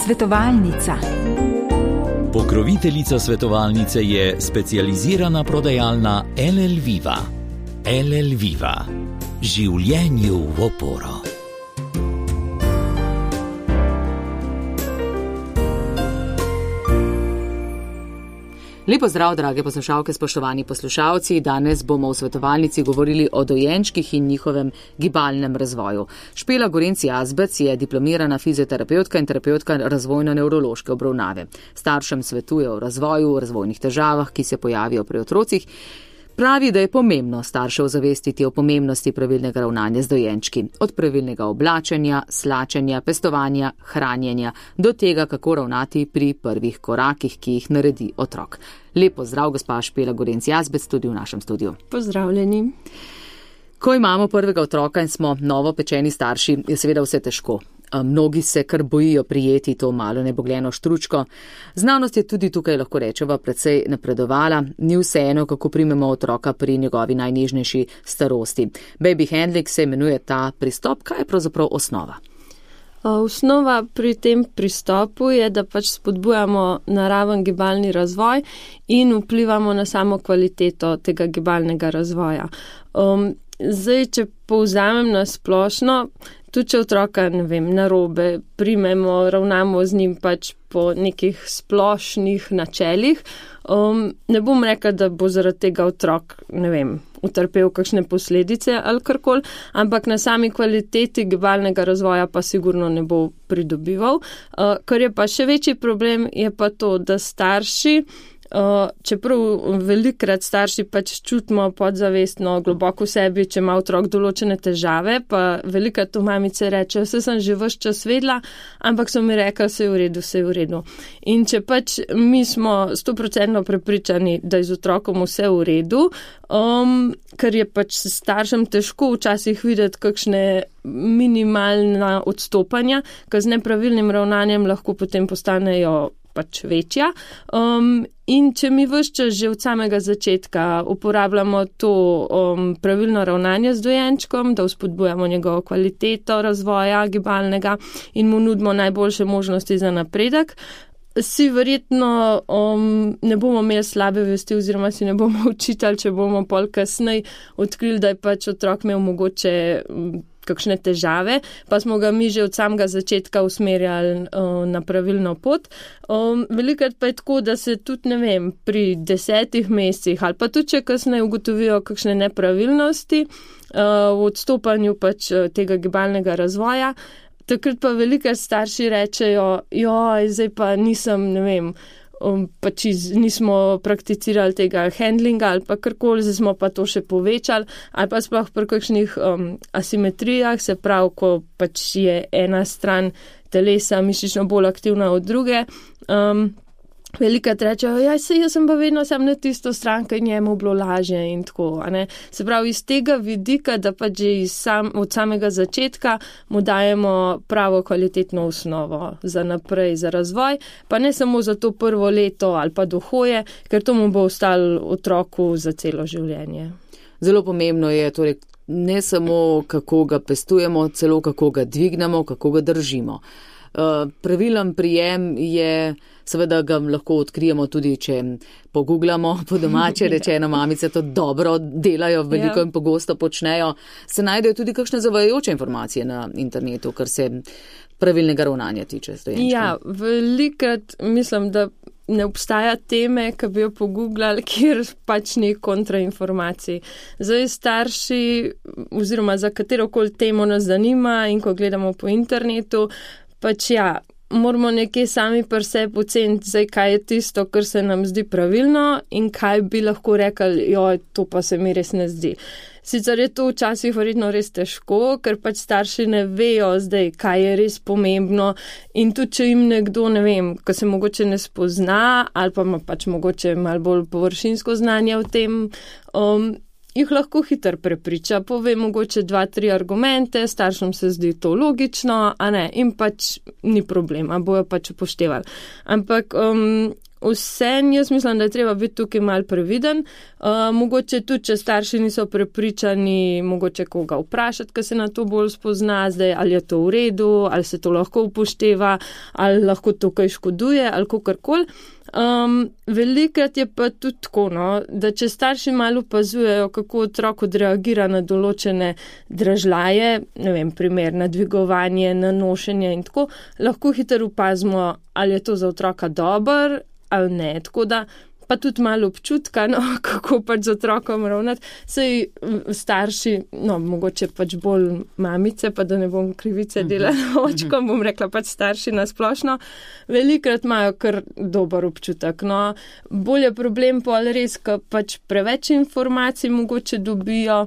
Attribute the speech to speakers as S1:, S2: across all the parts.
S1: Svetovalnica.
S2: Pokroviteljica svetovalnice je specializirana prodajalna LL Viva. LL Viva. Življenju v oporo.
S3: Lepo zdrav, drage poslušalke, spoštovani poslušalci. Danes bomo v svetovalnici govorili o dojenčkih in njihovem gibalnem razvoju. Špela Gorenc Jazbec je diplomirana fizioterapeutka in terapeutka razvojno-nevrološke obravnave. Staršem svetuje o razvoju, razvojnih težavah, ki se pojavijo pri otrocih. Pravi, da je pomembno starše ozavestiti o pomembnosti pravilnega ravnanja z dojenčki. Od pravilnega oblačenja, slačenja, pestovanja, hranjenja do tega, kako ravnati pri prvih korakih, ki jih naredi otrok. Lepo zdrav, gospa Špela Gorenc Jazbec, tudi v našem studiu.
S4: Pozdravljeni.
S3: Ko imamo prvega otroka in smo novopečeni starši, je seveda vse težko. Mnogi se kar bojijo prijeti to malo nebogljeno štručko. Znanost je tudi tukaj, lahko rečeva, precej napredovala. Ni vseeno, kako primemo otroka pri njegovi najnežnejši starosti. Baby handling se imenuje ta pristop. Kaj je pravzaprav osnova?
S4: Osnova pri tem pristopu je, da pač spodbujamo naraven gibalni razvoj in vplivamo na samo kvaliteto tega gibalnega razvoja. Zdaj, če povzamem na splošno, tudi če otroka, narobe primemo, ravnamo z njim pač po nekih splošnih načelih, ne bom rekla, da bo zaradi tega otrok, utrpel kakšne posledice ali karkoli, ampak na sami kvaliteti gibalnega razvoja pa sigurno ne bo pridobival. Kar je pa še večji problem, je pa to, da starši, čeprav velikrat starši pač čutimo podzavestno globoko v sebi, če ima otrok določene težave, pa velikrat to mamice rečejo, vse sem že ves čas vedela, ampak so mi rekli, vse je v redu. In če pač mi smo 100% prepričani, da je z otrokom vse v redu, ker je pač staršem težko včasih videti kakšne minimalna odstopanja, ker z nepravilnim ravnanjem lahko potem postanejo pač večja. In če mi ves čas že od samega začetka uporabljamo to pravilno ravnanje z dojenčkom, da vzpodbujamo njegovo kvaliteto razvoja gibalnega in mu nudimo najboljše možnosti za napredek, si verjetno ne bomo imeli slabe vesti oziroma si ne bomo učitali, če bomo pol kasneje odkrili, da je pač otrok imel mogoče kakšne težave, pa smo ga mi že od samega začetka usmerjali na pravilno pot. Velikrat pa je tako, da se tudi, pri 10 mesecih ali pa tudi, če kasneje ugotovijo kakšne nepravilnosti v odstopanju pač tega gibalnega razvoja, takrat pa velikrat starši rečejo, zdaj pa nisem, pač nismo prakticirali tega handlinga ali pa karkoli, zdaj smo pa to še povečali, ali pa sploh pri kakšnih asimetrijah, se pravi, ko pač je ena stran telesa mišično bolj aktivna od druge. Velikrat rečejo, jaz sem pa vedno sam na tisto stran, ker njemu bilo lažje in tako. Se pravi, iz tega vidika, da pa že od samega začetka mu dajemo pravo kvalitetno osnovo za naprej, za razvoj, pa ne samo za to prvo leto ali pa do hoje, ker to mu bo ostalo otroku za celo življenje.
S3: Zelo pomembno je torej ne samo, kako ga pestujemo, celo kako ga dvignemo, kako ga držimo. Pravilen prijem je, seveda ga lahko odkrijemo tudi, če pogooglamo, po domače rečeno, mamice to dobro delajo, veliko in pogosto počnejo. Se najdejo tudi kakšne zavajajoče informacije na internetu, kar se pravilnega ravnanja tiče s dojenčkom.
S4: Ja, velikrat mislim, da ne obstaja teme, ki bi jo pogooglali, kjer pač ni kontrainformacij. Zdaj starši, oziroma za katerokoli temo nas zanima in ko gledamo po internetu, pač moramo nekje sami pri sebi oceniti, zdaj kaj je tisto, kar se nam zdi pravilno in kaj bi lahko rekli, to pa se mi res ne zdi. Sicer je to včasih verjetno res težko, ker pač starši ne vejo zdaj, kaj je res pomembno in tudi, če jim nekdo, ko se mogoče ne spozna ali pa ima pač mogoče malo bolj površinsko znanje o tem, jih lahko hitro prepriča, pove mogoče 2-3 argumente, staršem se zdi to logično, in pač ni problema, bojo pač upoštevali. Ampak vsem jaz mislim, da je treba biti tukaj mal previden. Mogoče tudi, če starši niso prepričani, mogoče koga vprašati, ki se na to bolj spozna zdaj, ali je to v redu, ali se to lahko upošteva, ali lahko to kaj škoduje, ali kakorkoli. Velikrat je pa tudi tako, no, da če starši malo opazujejo, kako otrok odreagira na določene dražljaje, ne vem, primer na dvigovanje, na nošenje in tako, lahko hitro opazimo, ali je to za otroka dober ali ne. Tako da pa tudi malo občutka, no, kako pač z otrokom ravnati. Sej starši, no, mogoče pač bolj mamice, pa da ne bom krivice delala očkom, bom rekla pač starši na splošno, velikrat imajo kar dober občutek. No, bolj je problem pol res, ko pač preveč informacij mogoče dobijo,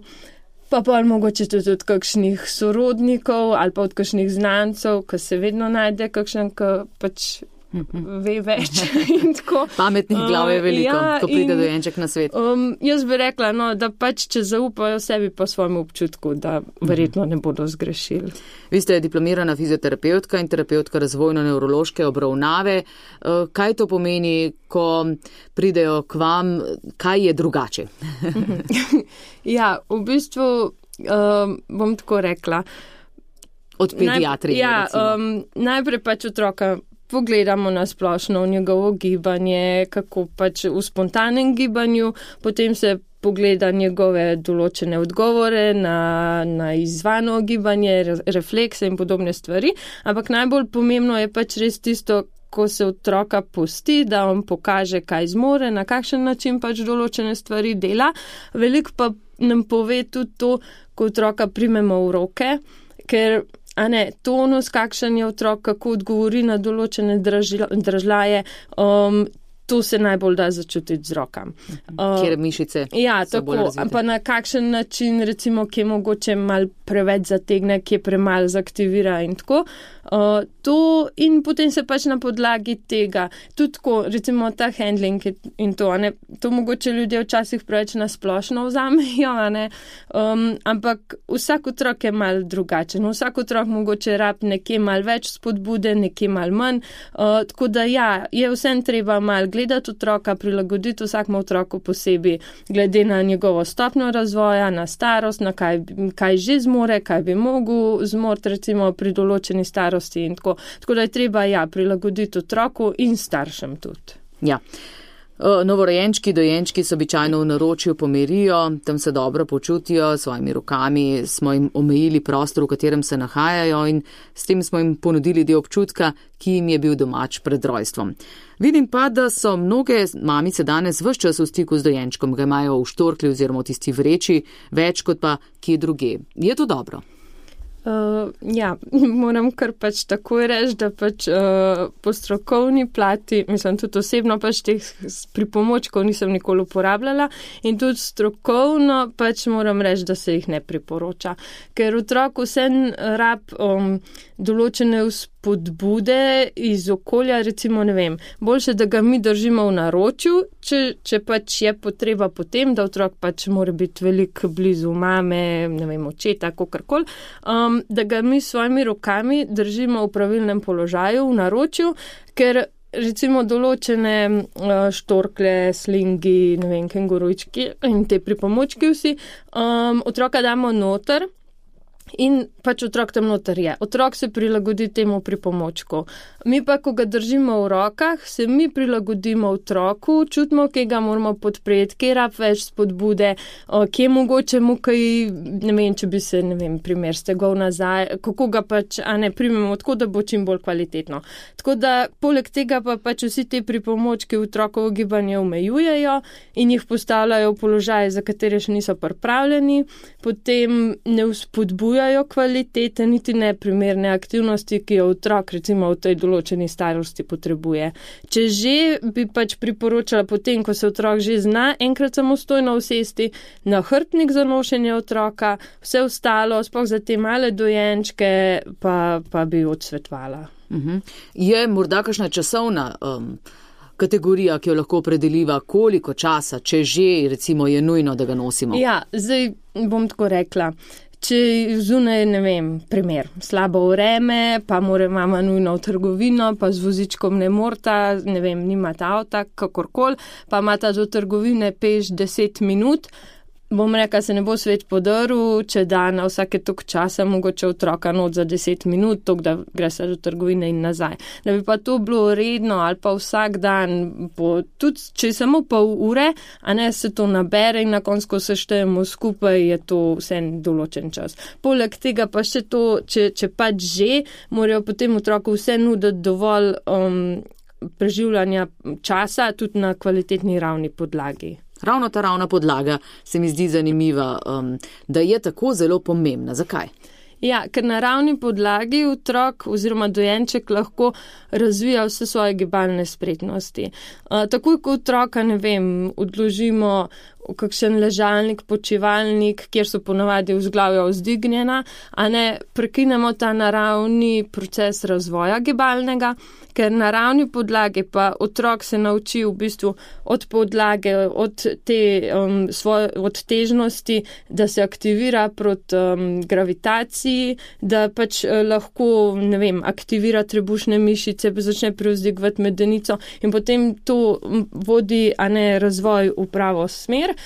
S4: pa pol mogoče tudi od kakšnih sorodnikov ali pa od kakšnih znancev, ki se vedno najde kakšen, ki pač ve več in tako.
S3: Pametnih glav je veliko, ko pride dojenček na svet.
S4: Jaz bi rekla, no, da pač, če zaupajo sebi po svojemu občutku, da verjetno ne bodo zgrešili.
S3: Vi ste diplomirana fizioterapeutka in terapeutka razvojno-nevrološke obravnave. Kaj to pomeni, ko pridejo k vam, kaj je drugače?
S4: Ja, v bistvu bom tako rekla.
S3: Od pediatrije,
S4: najprej pač otroka pogledamo na splošno v njegovo gibanje, kako pač v spontanem gibanju, potem se pogleda njegove določene odgovore na izvano gibanje, reflekse in podobne stvari, ampak najbolj pomembno je pač res tisto, ko se otroka pusti, da on pokaže, kaj zmore, na kakšen način pač določene stvari dela. Veliko pa nam pove tudi to, ko otroka primemo v roke, ker tonus, kakšen je otrok, kako odgovori na določene dražljaje, to se najbolj da začutiti z rokam.
S3: Kjer mišice so bolj razvite.
S4: Pa na kakšen način, recimo, kje mogoče mal preveč zategne, kje premal zaktivira in tako. To in potem se pač na podlagi tega, tudi tako, recimo ta handling in to, to mogoče ljudje včasih preveč nasplošno vzamejo, ampak vsak otrok je mal drugačen. Vsak otrok mogoče rab nekje mal več spodbude, nekje mal manj. Tako da ja, je vsem treba mal gledati otroka, prilagoditi vsakmu otroku posebej, glede na njegovo stopnjo razvoja, na starost, na kaj že zmore, kaj bi mogel zmoriti, recimo pri določeni starosti in tako. Tako da je treba, prilagoditi otroku in staršem tudi.
S3: Ja. Novorojenčki, dojenčki so običajno v naročju pomirijo, tam se dobro počutijo, s svojimi rokami smo jim omejili prostor, v katerem se nahajajo in s tem smo jim ponudili del občutka, ki jim je bil domač pred rojstvom. Vidim pa, da so mnoge mamice danes ves čas v stiku z dojenčkom, ga imajo v štorkli oziroma v tisti vreči, več kot pa kje druge. Je to dobro?
S4: Moram kar pač takoj reči, da pač po strokovni plati, mislim tudi osebno pač teh pripomočkov nisem nikoli uporabljala in tudi strokovno pač moram reči, da se jih ne priporoča, ker otrok vsem rab določene spodbude iz okolja, recimo, ne vem, boljše, da ga mi držimo v naročju, če pač je potreba potem, da otrok pač mora biti veliko blizu mame, ne vem, očeta, kakorkoli, da ga mi s svojimi rokami držimo v pravilnem položaju, v naročju, ker recimo določene štorkle, slingi, ne vem, kengurujčki in te pripomočki vsi, otroka damo noter, in pač otrok tam noter je. Otrok se prilagodi temu pripomočku. Mi pa, ko ga držimo v rokah, se mi prilagodimo otroku, čutimo, kje ga moramo podpreti, kje rab več spodbude, kje mogoče mu kaj, ne vem, če bi se, ne vem, primer stegov nazaj, kako ga pač, primemo, tako da bo čim bolj kvalitetno. Tako da, poleg tega pa pač vsi te pripomočki otrokovo gibanje omejujejo in jih postavljajo v položaje, za katere še niso pripravljeni, potem ne vzpodbujajo kvalitete, niti ne primerne aktivnosti, ki jo otrok recimo v tej določeni starosti potrebuje. Če že bi pač priporočala potem, ko se otrok že zna enkrat samostojno usesti na hrbtnik za nošenje otroka, vse ostalo, sploh za te male dojenčke, pa bi odsvetovala.
S3: Je morda kakšna časovna kategorija, ki jo lahko opredeliva, koliko časa, če že recimo je nujno, da ga nosimo?
S4: Ja, zdaj bom tako rekla. Če zunaj, ne vem, primer, slabo vreme, pa mora mama nujno v trgovino, pa z vozičkom ne morta, ne vem, nimata avta, kakorkoli, pa imata do trgovine peš 10 minut, bom rekla, se ne bo svet podrl, če da na vsake tok časa mogoče otroka not za 10 minut, tok da gre se do trgovine in nazaj. Da bi pa to bilo redno ali pa vsak dan, tudi če je samo pol ure, a ne se to nabere in na koncu seštejemo skupaj, je to vse določen čas. Poleg tega pa še to, če pač že, morajo potem otroku vse nuditi dovolj preživljanja časa tudi na kvalitetni ravni podlagi.
S3: Ravno ta ravna podlaga se mi zdi zanimiva, da je tako zelo pomembna. Zakaj?
S4: Ja, ker na ravni podlagi otrok oziroma dojenček lahko razvija vse svoje gibalne spretnosti. Takoj, ko otroka, ne vem, odložimo v kakšen ležalnik, počivalnik, kjer so ponavadi vzglavja vzdignjena, a ne prekinemo ta naravni proces razvoja gibalnega, ker na ravni podlage pa otrok se nauči v bistvu od podlage, od težnosti, da se aktivira proti gravitaciji, da pač lahko, ne vem, aktivira trebušne mišice, začne prevzdigovati medenico in potem to vodi, a ne, razvoj v pravo smer,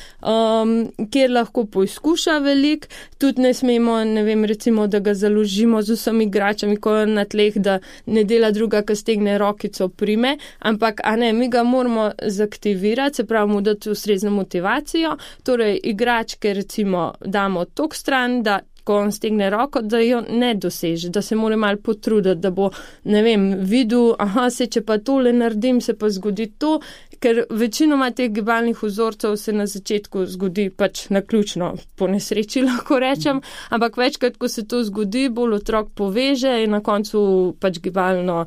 S4: kjer lahko poizkuša veliko, tudi ne smemo, ne vem, recimo, da ga založimo z vsemi igračami, ko je na tleh, da ne dela druga, ki stegne rokico prime, ampak, a ne, mi ga moramo zaktivirati, se pravi mu dati ustrezno motivacijo, torej igračke recimo damo tok stran, da ko on stegne roko, da jo ne doseže, da se mora malo potruditi, da bo, ne vem, videl, če pa tole naredim, se pa zgodi to, ker večinoma teh gibalnih vzorcev se na začetku zgodi pač naključno, po nesreči lahko rečem, ampak večkrat, ko se to zgodi, bolj otrok poveže in na koncu pač gibalno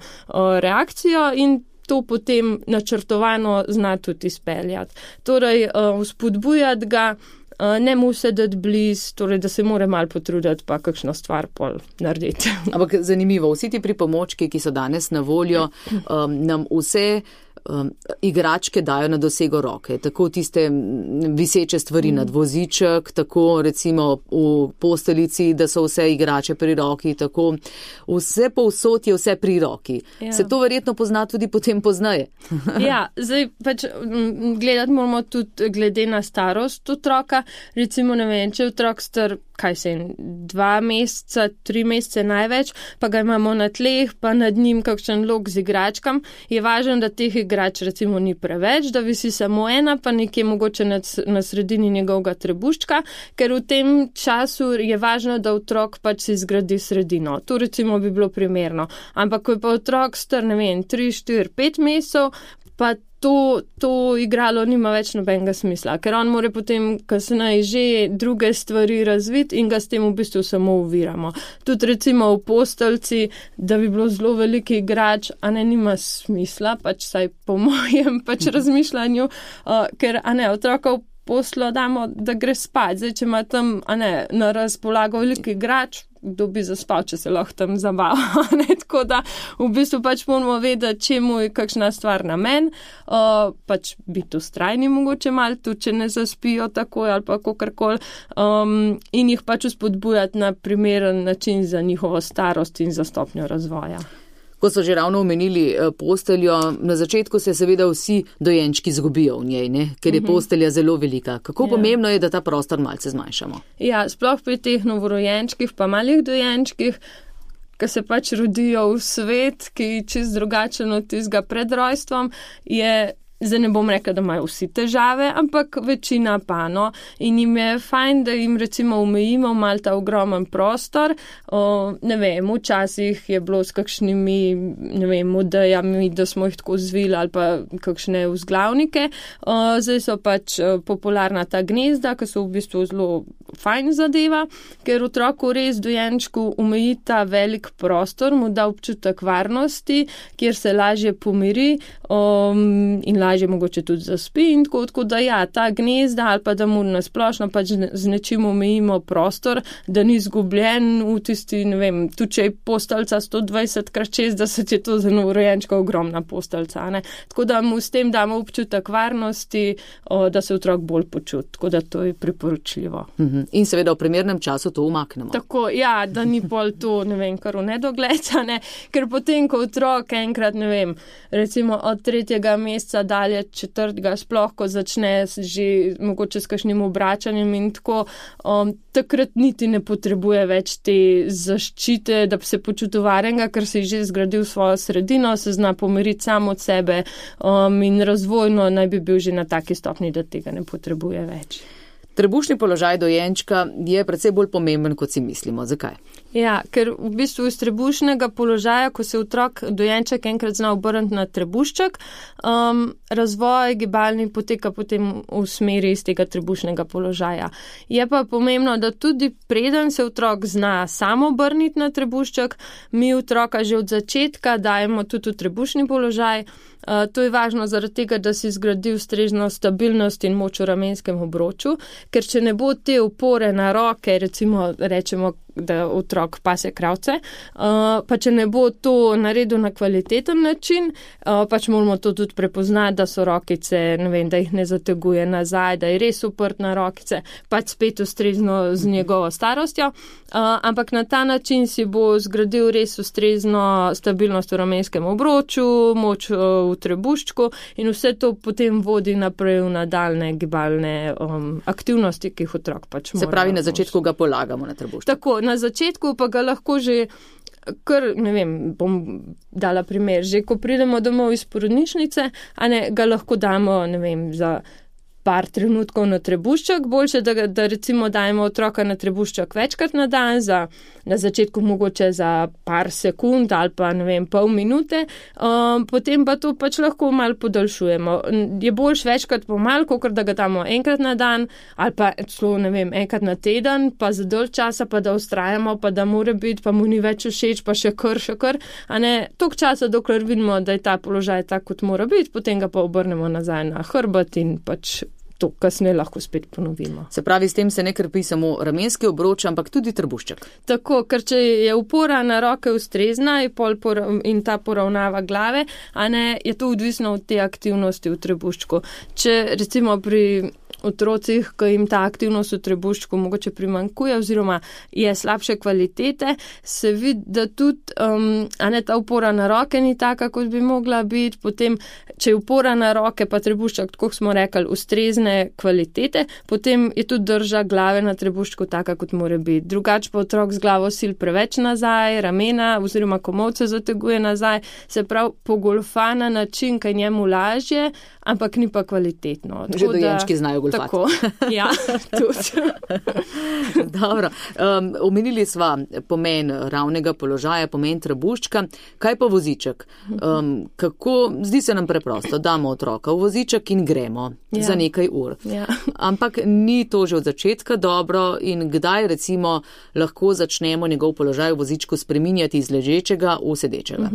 S4: reakcijo in to potem načrtovano zna tudi izpeljati. Torej, vzpodbujati ga, ne mu se dati bliz, torej, da se mora malo potruditi, pa kakšno stvar pol narediti.
S3: Ampak zanimivo, vsi ti pripomočki, ki so danes na voljo, nam vse igračke dajo na dosego roke, tako tiste viseče stvari nad voziček, tako recimo v posteljici, da so vse igrače pri roki, tako vse povsod je vse pri roki. Ja. Se to verjetno pozna tudi potem poznaje.
S4: Ja, zdaj pač gledati moramo tudi glede na starost otroka, recimo ne vem, če otrok star, 2 meseca, 3 mesece največ, pa ga imamo na tleh, pa nad njim kakšen lok z igračkam, je važno, da teh igrač recimo ni preveč, da visi samo ena, pa nekje mogoče na sredini njegovega trebuščka, ker v tem času je važno, da otrok pač si zgradi sredino. To recimo bi bilo primerno. Ampak ko je pa otrok star, ne vem, 3, 4, 5 mesecev, pa to igralo nima več nobenega smisla, ker on more potem kasneje že druge stvari razviti in ga s tem v bistvu samo oviramo. Tudi recimo v postelci, da bi bilo zelo veliki igrač, a ne nima smisla, pač saj po mojem pač razmišljanju, ker a ne otroka v poslo damo, da gre spat. Zdaj, če ima tam, a ne, na razpolago veliki igrač, kdo bi zaspal, če se lahko tam zabava. Tako da v bistvu pač moramo vedeti, čemu je kakšna stvar namen, pač biti ustrajni mogoče malo, tudi če ne zaspijo takoj ali pa kakorkoli, in jih pač vzpodbujati na primeren način za njihovo starost in za stopnjo razvoja.
S3: Ko so že ravno omenili posteljo, na začetku se seveda vsi dojenčki zgubijo v njej, ne? Ker je postelja zelo velika. Kako pomembno je, da ta prostor malce zmanjšamo?
S4: Ja, sploh pri teh novorojenčkih pa malih dojenčkih, ki se pač rodijo v svet, ki je čist drugačen od tistega pred rojstvom, je Zdaj ne bom rekla, da imajo vsi težave, ampak večina pa, no. In jim je fajn, da jim recimo omejimo mal ta ogromen prostor. Ne vem, včasih je bilo s kakšnimi, ne vem, odejami, da smo jih tako zvili ali pa kakšne vzglavnike. Zdaj so pač popularna ta gnezda, ki so v bistvu zelo fajn zadeva, ker otroku res dojenčku omeji ta velik prostor, mu da občutek varnosti, kjer se lažje pomiri in lažje mogoče tudi zaspi in tako da ja, ta gnezda ali pa da mu nasplošno pač z nečim omejimo prostor, da ni izgubljen v tisti, ne vem, tudi če je posteljica 120x60, je to za novorojenčka ogromna posteljica, ne. Tako da mu s tem damo občutek varnosti, da se otrok bolj počuti, tako da to je priporočljivo.
S3: In seveda v primernem času to umaknemo.
S4: Tako, ja, da ni pol to, ne vem, kar v nedogled, ne, ker potem, ko otrok enkrat, ne vem, recimo od 3. meseca dalje 4. sploh, ko začne že mogoče s kakšnim obračanjem in tako, takrat niti ne potrebuje več te zaščite, da bi se počutil varnega, ker se je že zgradil svojo sredino, se zna pomiriti sam od sebe in razvojno naj bi bil že na taki stopni, da tega ne potrebuje več.
S3: Trebušni položaj dojenčka je precej bolj pomemben, kot si mislimo. Zakaj?
S4: Ja, ker v bistvu iz trebušnega položaja, ko se dojenček enkrat zna obrniti na trebušček, razvoj gibalni poteka potem v smeri iz tega trebušnega položaja. Je pa pomembno, da tudi preden se otrok zna samo obrniti na trebušček, mi otroka že od začetka dajemo tudi v trebušni položaj. To je važno zaradi tega, da si zgradi ustrezno stabilnost in moč v ramenskem obroču, ker če ne bo te opore na roke, recimo rečemo, da otrok pase kravce, pa če ne bo to naredil na kvaliteten način, pač moramo to tudi prepoznati, da so rokice, ne vem, da jih ne zateguje nazaj, da je res uprt na rokice, pač spet ustrezno z njegovo starostjo, ampak na ta način si bo zgradil res ustrezno stabilnost v ramenskem obroču, moč v trebuščku in vse to potem vodi naprej v nadaljne gibalne aktivnosti, ki jih otrok pač mora.
S3: Se pravi, na začetku ga polagamo na trebušček.
S4: Tako, na začetku pa ga lahko že, kar, ne vem, bom dala primer, že ko pridemo domov iz porodnišnice, a ne, ga lahko damo, ne vem, za par trenutkov na trebušček, boljše, da recimo dajemo otroka na trebušček večkrat na dan, na začetku mogoče za par sekund ali pa, ne vem, pol minute, potem pa to pač lahko malo podaljšujemo. Je boljš večkrat pomal, kakor da ga damo enkrat na dan ali pa celo, ne vem, enkrat na teden, pa za dolg časa, pa da ustrajamo, pa da mora biti, pa mu ni več všeč, pa še kar, a ne, toliko časa, dokler vidimo, da je ta položaj tak, kot mora biti, potem ga pa obrnemo nazaj na hrbet in pač to kasneje lahko spet ponovimo.
S3: Se pravi, s tem se ne krpi samo ramenski obroč, ampak tudi trebušček.
S4: Tako, ker če je opora na roke ustrezna in ta poravnava glave, a ne, je to odvisno od te aktivnosti v trebuščku. Če recimo pri otrocih, ko jim ta aktivnost v trebuščku mogoče primanjkuje oziroma je slabše kvalitete, se vidi, da tudi ta opora na roke ni taka, kot bi mogla biti. Potem, če je opora na roke pa trebušček, tako smo rekli, ustrezne kvalitete, potem je tudi drža glave na trebuščku taka, kot mora biti. Drugače pa otrok z glavo sil preveč nazaj, ramena oziroma komolce zateguje nazaj, se pravi pogolfa na način, kaj njemu lažje, ampak ni pa kvalitetno.
S3: Že dojenčki znajo golfati.
S4: Tako, ja, tudi.
S3: Dobro, omenili sva pomen ravnega položaja, pomen trebuščka. Kaj pa voziček? Zdi se nam preprosto, damo otroka v voziček in gremo za nekaj ur.
S4: Ja.
S3: Ampak ni to že od začetka dobro in kdaj recimo lahko začnemo njegov položaj v vozičku spreminjati iz ležečega v sedečega?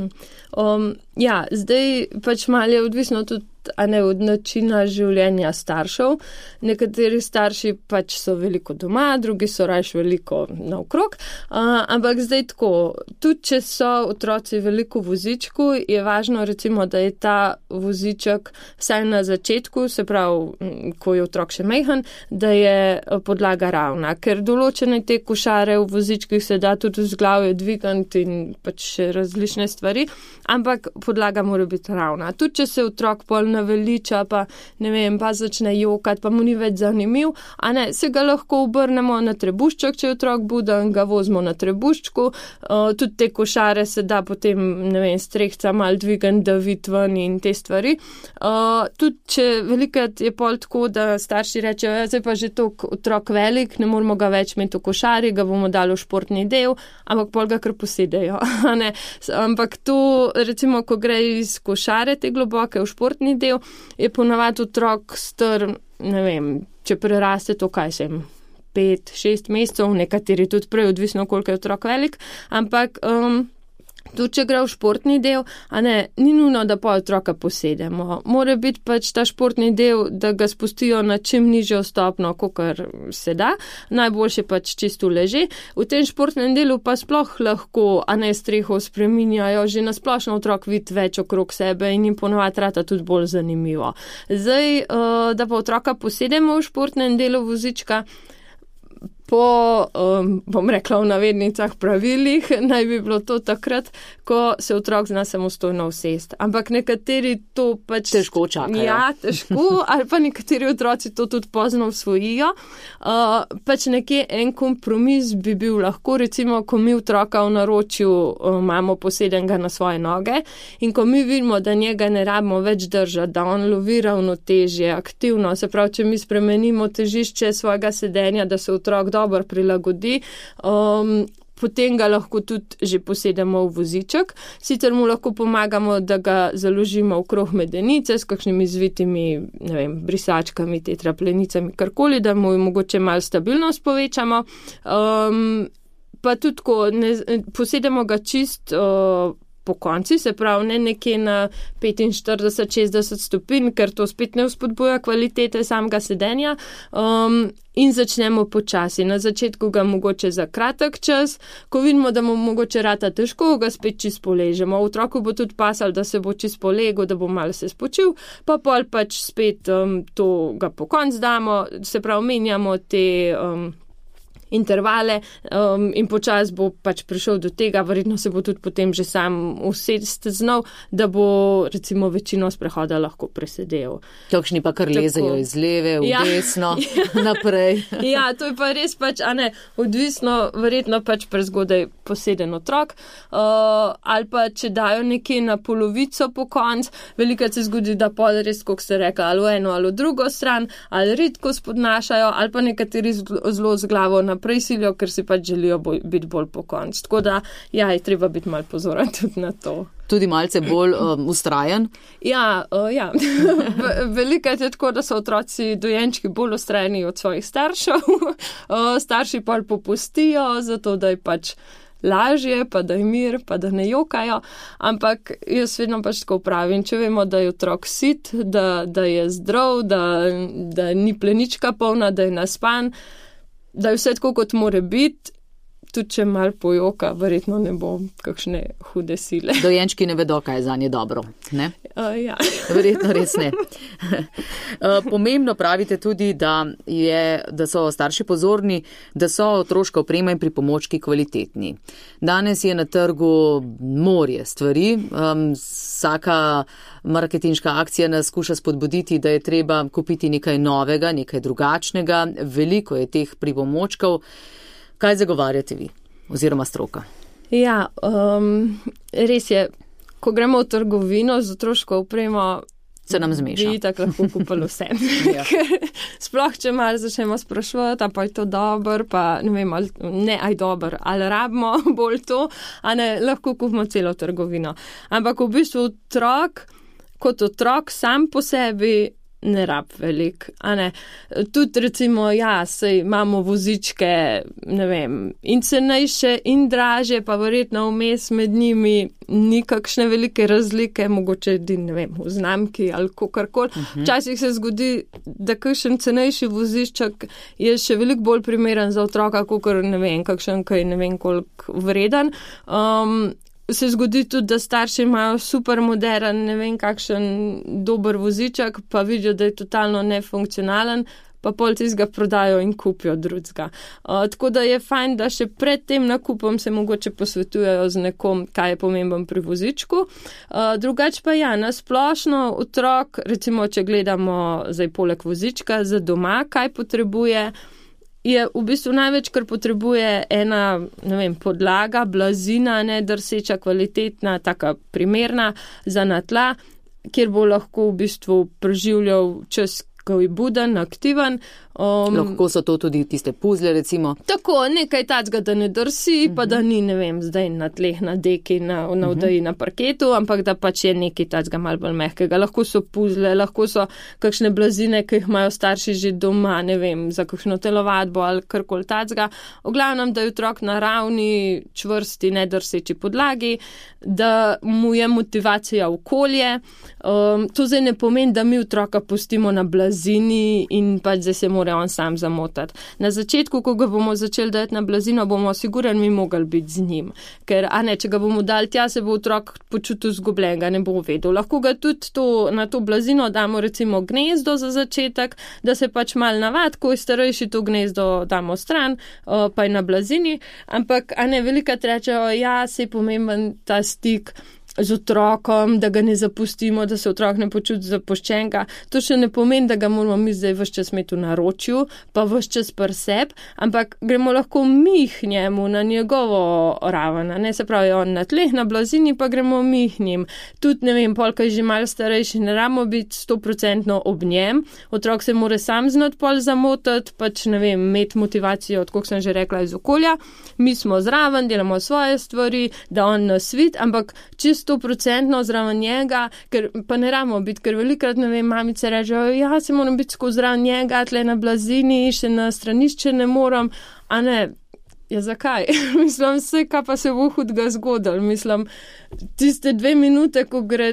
S4: Zdaj pač malo je odvisno tudi od načina življenja staršev. Nekateri starši pač so veliko doma, drugi so raje veliko naokrog, ampak zdaj tako, tudi če so otroci veliko v vozičku, je važno recimo, da je ta voziček vsaj na začetku, se pravi, ko je otrok še majhen, da je podlaga ravna, ker določene te košare v vozičkih se da tudi z glave dvigati in pač še različne stvari, ampak podlaga mora biti ravna. Tudi če se otrok pol naveliča, pa ne vem, pa začne jokati, pa mu ni več zanimiv, a ne, se ga lahko obrnemo na trebušček, če je otrok buden, ga vozimo na trebuščku, tudi te košare se da potem, ne vem, strehca mal dvigan, da vidi ven in te stvari. Tudi če velikrat je pol tako, da starši rečejo, zdaj pa že toliko otrok velik, ne moramo ga več imeti v košari, ga bomo dali v športni del, ampak pol ga kar posedejo, a ne. Ampak to, recimo, ko gre iz košare te globoke v športni del, je ponavadi otrok star, ne vem, če preraste to, kaj sem, 5-6 mesecev, nekateri tudi prej, odvisno koliko je otrok velik, ampak tudi če gre v športni del, ni nujno, da pa otroka posedemo. Mora biti pač ta športni del, da ga spustijo na čim nižjo stopno, kakor se da. Najboljše pač čisto leže. V tem športnem delu pa sploh lahko, streho spreminjajo, že nasplošno otrok vidi več okrog sebe in jim ponovadi rata tudi bolj zanimivo. Zdaj, da pa otroka posedemo v športnem delu vozička, po, bom rekla v navednicah, pravilih, naj bi bilo to takrat, ko se otrok zna samostojno usesti. Ampak nekateri to pač
S3: težko čakajo.
S4: Ja, težko, ali pa nekateri otroci to tudi pozno usvojijo. Pač nekje en kompromis bi bil lahko, recimo, ko mi otroka v naročju imamo posedenega na svoje noge in ko mi vidimo, da njega ne rabimo več držati, da on lovi ravnotežje, aktivno, se pravi, če mi spremenimo težišče svojega sedenja, da se otrok dobro prilagodi, potem ga lahko tudi že posedemo v voziček. Sicer mu lahko pomagamo, da ga založimo okrog medenice s kakšnimi zvitimi, brisačkami, tetraplenicami, karkoli, da mu mogoče malo stabilnost povečamo. Pa tudi, ko posedemo ga čist po konci, se pravi, ne nekje na 45-60 stopinj, ker to spet ne vzpodbuja kvalitete samega sedenja. In začnemo počasi. Na začetku ga mogoče za kratek čas, ko vidimo, da mu mogoče rata težko, ga spet čist poležemo. Otroku bo tudi pasal, da se bo čist polegel, da bo malo se spočil, pa pol pač spet to ga po konc damo, se pravi, menjamo te intervale in počas bo pač prišel do tega, verjetno se bo tudi potem že sam usesti znal, da bo recimo večino sprehoda lahko presedel.
S3: Kakšni pa kar lezejo iz leve v desno, naprej.
S4: Ja, to je pa res pač, odvisno, verjetno pač prezgodaj poseden otrok, ali pa če dajo nekje na polovico po konc, velikrat se zgodi, da pol res, kot ste rekli, ali v eno ali v drugo stran, ali redko spodnašajo, ali pa nekateri zelo z glavo naprej silijo, ker si pač želijo biti bolj po konc. Tako da, je treba biti malo pozoren tudi na to.
S3: Tudi malce bolj ustrajen?
S4: Ja. Velikrat je tako, da so otroci dojenčki bolj ustrajeni od svojih staršev. Starši pol popustijo, zato da je pač lažje, pa da je mir, pa da ne jokajo. Ampak jaz vedno pač tako pravim, če vemo, da je otrok sit, da je zdrav, da ni plenička polna, da je naspan, da je vse tako, kot more biti, tudi če malo pojoka, verjetno ne bo kakšne hude sile.
S3: Dojenčki ne vedo, kaj je za nje dobro, ne?
S4: Ja.
S3: Verjetno res ne. Pomembno pravite tudi, da so starši pozorni, da so otroška oprema in pripomočki kvalitetni. Danes je na trgu morje stvari, vsaka marketinška akcija nas skuša spodbuditi, da je treba kupiti nekaj novega, nekaj drugačnega, veliko je teh pripomočkov. Kaj zagovarjate vi oziroma stroka?
S4: Ja, res je, ko gremo v trgovino z otroško opremo,
S3: se nam zmeša.
S4: Bi tako lahko kupili vse. Ja. Sploh, če malo začnemo sprašovati, pa je to dober, pa ne vem, aj dober, ali rabimo bolj to, lahko kupimo celo trgovino. Ampak v bistvu kot otrok sam po sebi ne rab velik, Tudi recimo, sej imamo vozičke, in cenejše in draže, pa verjetno vmes med njimi ni kakšne velike razlike, mogoče v znamki ali kakorkoli. Včasih se zgodi, da kakšen cenejši voziček je še veliko bolj primeren za otroka, kakor kakšen, ki je koliko vreden. Se zgodi tudi, da starši imajo super modern, kakšen dober voziček, pa vidijo, da je totalno nefunkcionalen, pa pol tistega prodajo in kupijo drugega. Tako da je fajn, da še pred tem nakupom se mogoče posvetujejo z nekom, kaj je pomemben pri vozičku. Drugače pa na splošno otrok, recimo, če gledamo zdaj poleg vozička za doma, kaj potrebuje, je v bistvu največ, kar potrebuje ena, podlaga, blazina, drseča, kvalitetna, taka primerna za na tla, kjer bo lahko v bistvu preživljal čas, takoj buden, aktiven.
S3: Lahko so to tudi tiste puzle, recimo.
S4: Tako, nekaj tacga, da ne drsi, pa da ni, ne vem, zdaj na tleh, na deki, na vdaji, na parketu, ampak da pač je nekaj tacga malo bolj mehkega. Lahko so puzle, lahko so kakšne blazine, ki jih imajo starši že doma, ne vem, za kakšno telovadbo ali karkoli tacga. V glavnem, da je otrok na ravni, čvrsti, nedrseči podlagi, da mu je motivacija okolje. To zdaj ne pomeni, da mi otroka pustimo na blazini in pač zdaj se mora on sam zamotati. Na začetku, ko ga bomo začeli dati na blazino, bomo sigurno mi mogli biti z njim. Ker, če ga bomo dali tja, se bo otrok počutil zgubljenega, ne bo vedel. Lahko ga tudi na to blazino damo recimo gnezdo za začetek, da se pač mal navad, ko je starejši, to gnezdo damo stran, pa je na blazini. Ampak, velikrat rečejo, se je pomemben ta stik z otrokom, da ga ne zapustimo, da se otrok ne počuti zapuščenega. To še ne pomeni, da ga moramo mi zdaj ves čas imeti v naročju, pa ves čas pri sebi, ampak gremo lahko mi k njemu na njegovo raven. Se pravi, on na tleh, na blazini, pa gremo mi k njim. Tudi, ne vem, polka je že malo starejši, ne ramo biti 100% ob njem. Otrok se mora sam znati pol zamotati, pač, ne vem, imeti motivacijo, od koliko sem že rekla, iz okolja. Mi smo zraven, delamo svoje stvari, da on nas vidi, ampak čisto 100% zraven njega, ker pa ne ramo biti, ker velikrat, ne vem, mamice rečejo, se moram biti skozi zraven njega, tle na blazini, še na stranišče ne moram, zakaj? Mislim, vse, kaj pa se bo hudega zgodilo. Mislim, tiste 2 minute, ko gre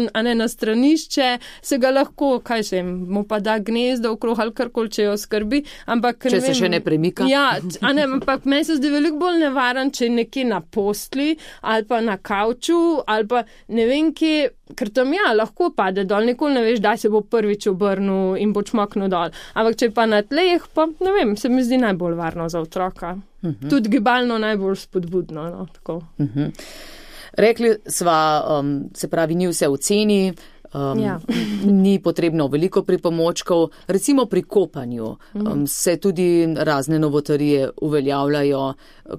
S4: na stranišče, se ga lahko, mu pa da gnezdo okrog ali karkoli, če jo skrbi. Ampak,
S3: če se še ne premika.
S4: Ampak meni se zdi veliko bolj nevaren, če je nekje na postli ali pa na kavču ali pa ne vem kje, ker tam lahko pade dol, nikoli ne veš, da se bo prvič obrnil in bo čmoknil dol. Ampak če pa na tleh, pa ne vem, se mi zdi najbolj varno za otroka. Tudi gibalno najbolj spodbudno. Tako.
S3: Rekli sva, se pravi, ni vse v ceni, ni potrebno veliko pripomočkov. Recimo pri kopanju se tudi razne novotarije uveljavljajo.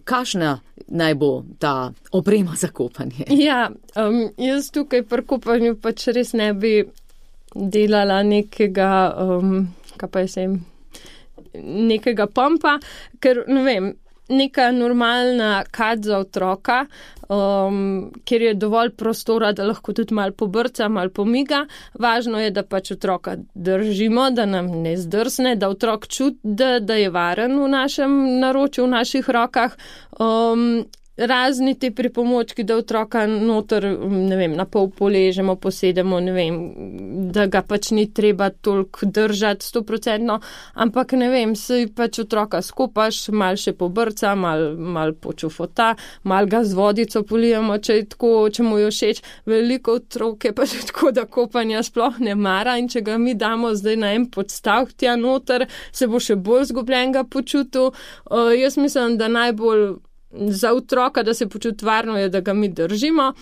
S3: Kakšna naj bo ta oprema za kopanje?
S4: Jaz tukaj pri kopanju pač res ne bi delala nekega, nekega pumpa, ker ne vem, neka normalna kad za otroka, kjer je dovolj prostora, da lahko tudi malo pobrca, malo pomiga. Važno je, da pač otroka držimo, da nam ne zdrsne, da otrok čuti, da je varen v našem naročju, v naših rokah. Razni te pripomočki, da otroka noter, ne vem, na pol poležemo, posedemo, ne vem, da ga pač ni treba toliko držati 100%, ampak ne vem, se pač otroka skopaš, mal še pobrca, mal počufota, mal ga z vodico polijemo, če je tako, če mu je všeč. Veliko otrok je pač tako, da kopanja sploh ne mara in če ga mi damo zdaj na en podstavk tja noter, se bo še bolj zgubljenega počutil. Jaz mislim, da najbolj za otroka, da se počuti varno, je, da ga mi držimo.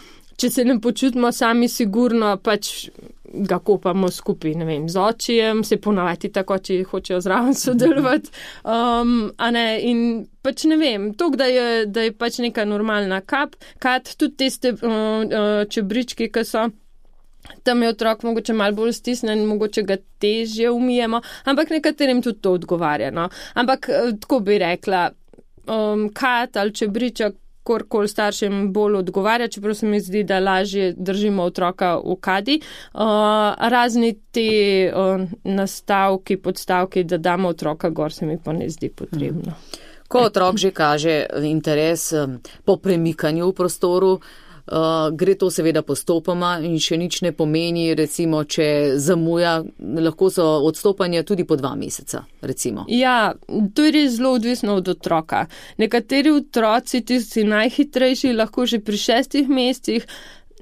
S4: Če se ne počutimo sami sigurno, pač ga kopamo skupaj, ne vem, z očijem, se ponavadi tako, če hočejo zraven sodelovati. In pač ne vem, to, da je pač neka normalna kad, tudi tiste čebrički, ki so, tam je otrok mogoče malo bolj stisnen, mogoče ga težje umijemo, ampak nekaterim tudi to odgovarja. No? Ampak tako bi rekla, kad ali čebriček, korkoli staršem bolj odgovarja, čeprav se mi zdi, da lažje držimo otroka v kadi. Razni te nastavki, podstavki, da damo otroka gor, se mi pa ne zdi potrebno.
S3: Ko otrok že kaže interes po premikanju v prostoru, gre to seveda postopoma in še nič ne pomeni, recimo, če zamuja, lahko so odstopanja tudi po 2 meseca, recimo.
S4: To je res zelo odvisno od otroka. Nekateri otroci, tisti najhitrejši, lahko že pri 6 mesecih,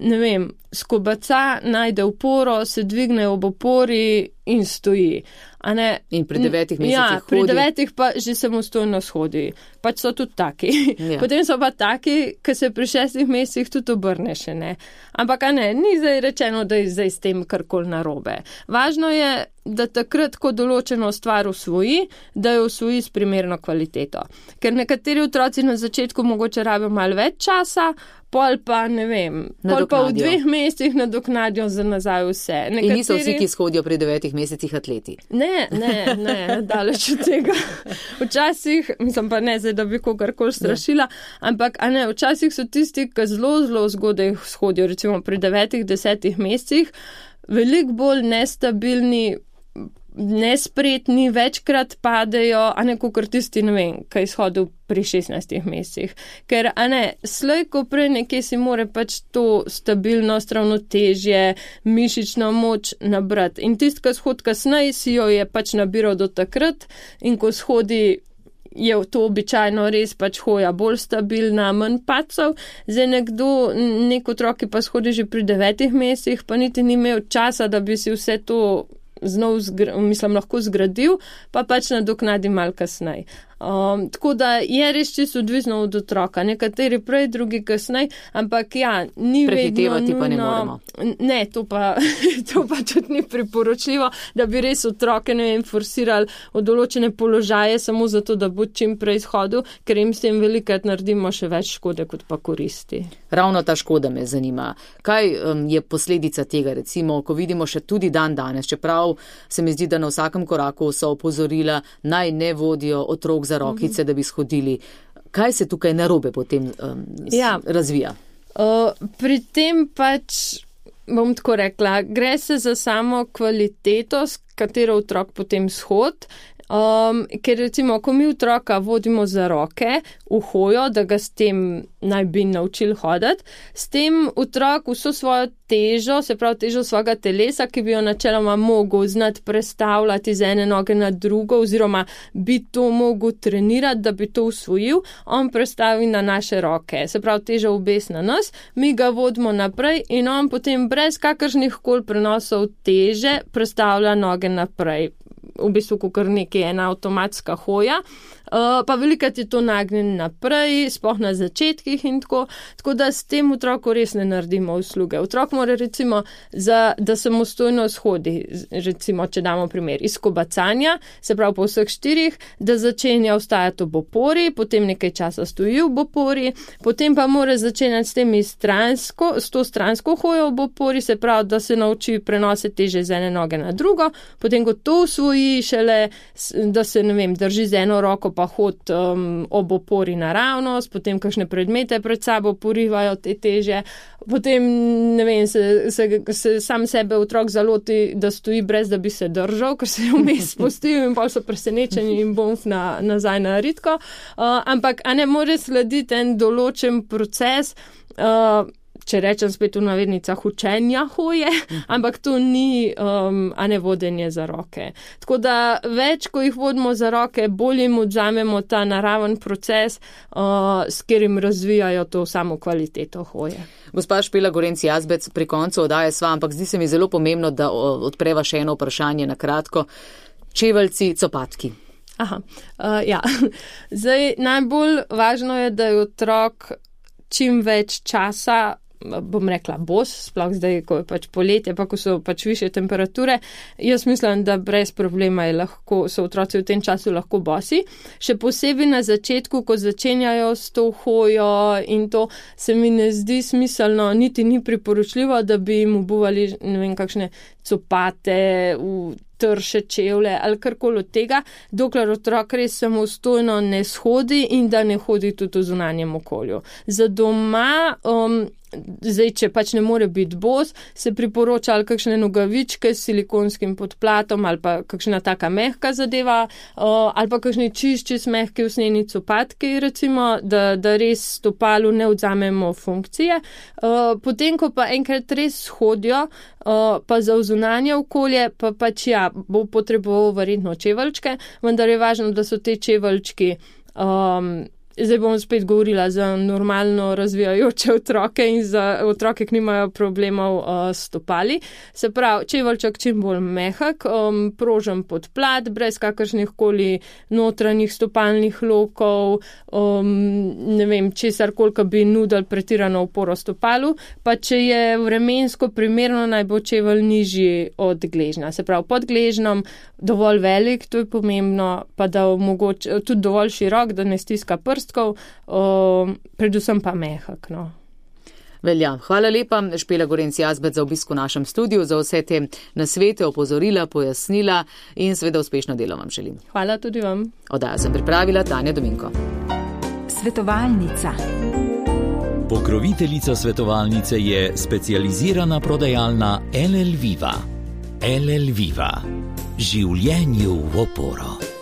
S4: ne vem, skobaca, najde oporo, se dvigne ob opori in stoji.
S3: In pri 9 mesecih hodi.
S4: Pri 9 pa že samostojno shodi. Pač so tudi taki. Potem so pa taki, ki se pri 6 mesecih tudi obrne še ne. Ampak ni zdaj rečeno, da je zdaj s tem karkoli narobe. Važno je, da takrat, ko določeno stvar usvoji, da jo usvoji s primerno kvaliteto. Ker nekateri otroci na začetku mogoče rabijo malo več časa, pol pa, ne vem, pol pa v 2 mesecih nadoknadijo za nazaj vse.
S3: In niso vsi, ki shodijo pri 9 mesecih atleti.
S4: Ne, daleč od tega. Včasih, mislim pa ne, da bi kogarkoli strašila, ampak včasih so tisti, ki zelo zgodaj shodijo, recimo pri 9-10 mesecih, veliko bolj nestabilni, nespretni, večkrat padejo, kakor tisti, ne vem, kaj izhodil pri 16 mesecih. Ker, slej, ko prej nekje si more pač to stabilnost, ravnotežje, mišično moč nabrati. In tisti, ki shod kasneje, si jo je pač nabiral do takrat in ko shodi, je to običajno res pač hoja bolj stabilna, manj pacov. Zdaj nek otrok, ki pa shodi že pri 9 mesecih, pa niti ni imel časa, da bi si vse to lahko zgradil, pa pač nadoknadi malo kasneje. Tako da je res čisto odvisno od otroka. Nekateri prej, drugi kasneje, ampak ni
S3: prehitevati
S4: vedno nujno.
S3: Pa ne moremo.
S4: Ne, to pa tudi ni priporočljivo, da bi res otroke, forsirali v določene položaje samo zato, da bo čim prej izhodil, ker jim s tem velikrat naredimo še več škode, kot pa koristi.
S3: Ravno ta škoda me zanima. Kaj je posledica tega, recimo, ko vidimo še tudi dan danes, čeprav se mi zdi, da na vsakem koraku so opozorila, naj ne vodijo otrok za rokice, da bi shodili. Kaj se tukaj narobe potem razvija?
S4: Pri tem pač, bom tako rekla, gre se za samo kvaliteto, s katero otrok potem shod. Ker recimo, ko mi otroka vodimo za roke v hojo, da ga s tem naj bi naučili hoditi, s tem otrok vso svojo težo, se pravi težo svojega telesa, ki bi jo načeloma mogel znati prestavljati z ene noge na drugo, oziroma bi to mogel trenirati, da bi to usvojil, on prestavi na naše roke. Se pravi težo obes na nas, mi ga vodimo naprej in on potem brez kakršnih koli prenosov teže prestavlja noge naprej. V bistvu, kakor nekaj ena avtomatska hoja, pa velikrat je to nagnjen naprej, sploh na začetkih in tako da s tem otroku res ne naredimo usluge. Otrok mora recimo, da samostojno shodi, recimo, če damo primer, iz kobacanja, se pravi po vseh 4, da začenja vstajati ob opori, potem nekaj časa stoji ob opori, potem pa mora začenjati s to stransko hojo ob opori, se pravi, da se nauči prenose teže z ene noge na drugo, potem ko to usvoji šele, da se, drži z eno roko pa hod ob opori naravnost, potem kakšne predmete pred sabo porivajo te teže, potem, se sam sebe otrok zaloti, da stoji brez, da bi se držal, ker se je vmes spustil in pa so presenečeni in bomf nazaj na ritko. Ampak, mora slediti en določen proces, če rečem spet v navednicah, učenja hoje, ampak to ni vodenje za roke. Tako da več, ko jih vodimo za roke, bolj jim odzamemo ta naraven proces, s katerim razvijajo to samo kvaliteto hoje.
S3: Gospa Špela Gorenc Jazbec, pri koncu oddaje sva, ampak zdi se mi zelo pomembno, da odpreva še eno vprašanje na kratko. Čeveljci, copatki.
S4: Zdaj, najbolj važno je, da je otrok čim več časa, bom rekla, bos, sploh zdaj, ko je pač poletje, pa ko so pač više temperature. Jaz mislim, da brez problema so otroci v tem času lahko bosi. Še posebej na začetku, ko začenjajo s to hojo in to, se mi ne zdi smiselno, niti ni priporočljivo, da bi jim obuvali, kakšne copate, trše čevlje ali karkoli od tega, dokler otrok res samostojno ne shodi in da ne hodi tudi v zunanjem okolju. Za doma, zdaj, če pač ne more biti bos, se priporoča ali kakšne nogavičke s silikonskim podplatom ali pa kakšna taka mehka zadeva, ali pa kakšni čišči mehki usnjeni copatki, recimo, da res stopalu ne odzamemo funkcije. Potem, ko pa enkrat res hodijo, pa za zunanje okolje, pa pač bo potreboval verjetno čeveljčke, vendar je važno, da so te čeveljčki zdaj bom spet govorila za normalno razvijajoče otroke in za otroke, ki nimajo problemov s stopali. Se pravi, čeveljček čim bolj mehak, prožen podplat, brez kakršnih koli notranjih stopalnih lokov, ne vem, česar koliko bi nudil pretirano oporo stopalu, pa če je vremensko primerno, naj bo čevelj nižji od gležnja. Se pravi, pod gležnom dovolj velik, to je pomembno, pa da omogoča tudi dovolj širok, da ne stiska prstkov, predvsem pa mehak, no.
S3: Velja. Hvala lepa, Špela Gorenc Jazbec, za obisk v našem studiu, za vse te nasvete, opozorila, pojasnila in seveda uspešno delo vam želim.
S4: Hvala tudi vam.
S3: Oddajo sem pripravila Tanja Dominko.
S1: Svetovalnica.
S2: Pokroviteljica svetovalnice je specializirana prodajalna LL Viva. LL Viva. Življenju v oporo.